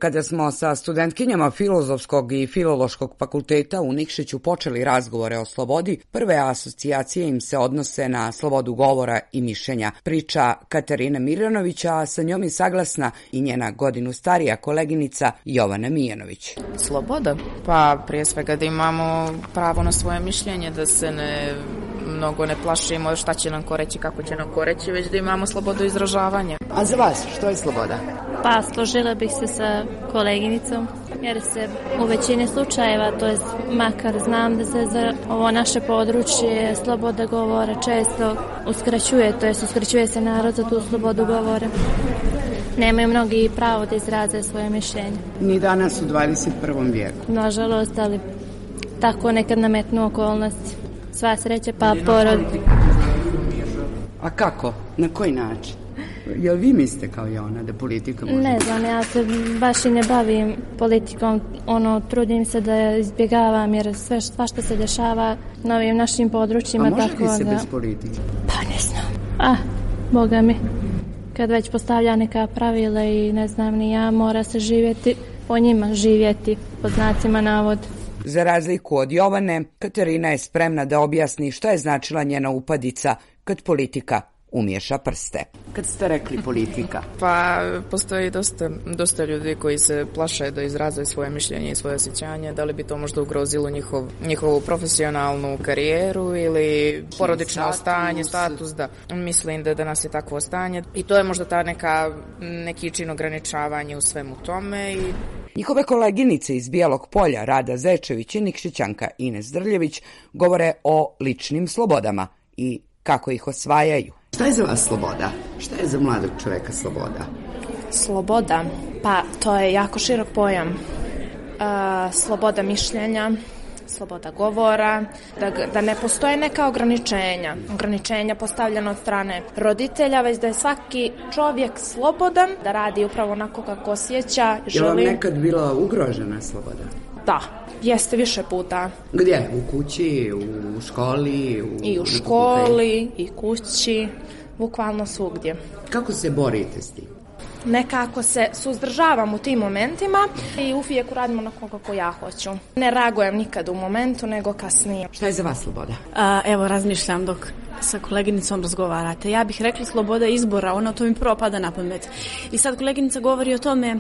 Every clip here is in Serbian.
Kada smo sa studentkinjama Filozofskog i Filološkog fakulteta u Nikšiću počeli razgovore o slobodi, prve asocijacije im se odnose na slobodu govora i mišljenja. Priča Katarina Mirjanovića, a sa njom je saglasna i njena godinu starija koleginica Jovana Mijanović. Sloboda? Pa prije svega da imamo pravo na svoje mišljenje, da se mnogo ne plašimo šta će nam ko reći, kako će nam ko reći, već da imamo slobodu izražavanja. A za vas, što je sloboda? Pa složila bih se sa koleginicom, jer se u većini slučajeva, to je makar znam da se za ovo naše područje sloboda govora često uskraćuje, to je uskraćuje se narod za tu slobodu govora. Nemaju mnogi pravo da izraze svoje mišljenje. Ni danas u 21. vijeku. Nažalost, ali tako nekad nametnu okolnosti. Sva sreća pa porod. A kako? Na koji način? Jel vi mislite kao i ona da politika može... Ne znam, ja se baš i ne bavim politikom, trudim se da izbjegavam jer svašta se dešava na ovim našim područjima. A može li se bez politike? Pa ne znam. Boga mi, kad već postavlja neka pravila i ne znam ni ja, mora se živjeti po njima, živjeti pod znacima navoda. Za razliku od Jovane, Katarina je spremna da objasni šta je značila njena upadica kad politika umiješa prste. Kad ste rekli politika? Pa postoji dosta ljudi koji se plaše da izraze svoje mišljenje i svoje osjećanje, da li bi to možda ugrozilo njihovu profesionalnu karijeru ili porodično stanje, status, da mislim da danas je takvo stanje i to je možda ta neki čin ograničavanja u svemu tome. Njihove koleginice iz Bijelog Polja, Rada Zečević i Nikšićanka Ines Drljević, govore o ličnim slobodama i kako ih osvajaju. Šta je za vas sloboda? Šta je za mladog čoveka sloboda? Sloboda? Pa to je jako širok pojam. Sloboda mišljenja, sloboda govora, da ne postoje neka ograničenja postavljena od strane roditelja, već da je svaki čovjek slobodan, da radi upravo onako kako osjeća, želi. Je vam nekad bila ugrožena sloboda? Da, jeste više puta. Gdje? U kući, u školi? I u školi, i kući, bukvalno svugdje. Kako se borite s tim? Nekako se suzdržavam u tim momentima i uvijek uradim onako kako ja hoću. Ne reagujem nikad u momentu, nego kasnije. Šta je za vas sloboda? Evo, razmišljam dok sa koleginicom razgovarate. Ja bih rekla sloboda izbora, to mi prvo pada na pamet. I sad koleginica govori o tome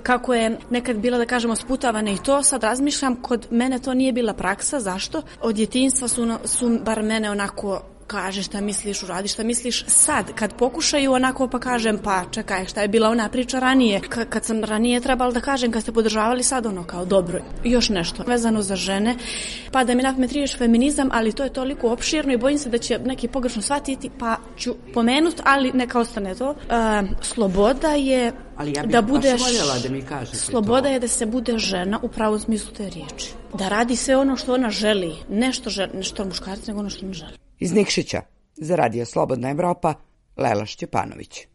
kako je nekad bila, da kažemo, sputavana i to, sad razmišljam, kod mene to nije bila praksa. Zašto? Od djetinjstva su bar mene onako kaže šta misliš, uradi šta misliš. Sad, kad pokušaju onako pa kažem, pa čekaj, šta je bila ona priča ranije? Kad sam ranije trebala da kažem, kad ste podržavali, sad kao dobro. Još nešto vezano za žene, pa da mi na pamet riječ feminizam, ali to je toliko opširno i bojim se da će neki pogrešno shvatiti, pa ću pomenuti, ali neka ostane to. Sloboda je da budeš, da mi kažete sloboda je da se bude žena u pravom smislu te riječi. Da radi sve ono što ona želi, nešto muškarci, nego ono što ona želi. Iz Nikšića, za Radio Slobodna Evropa, Lela Šćepanović.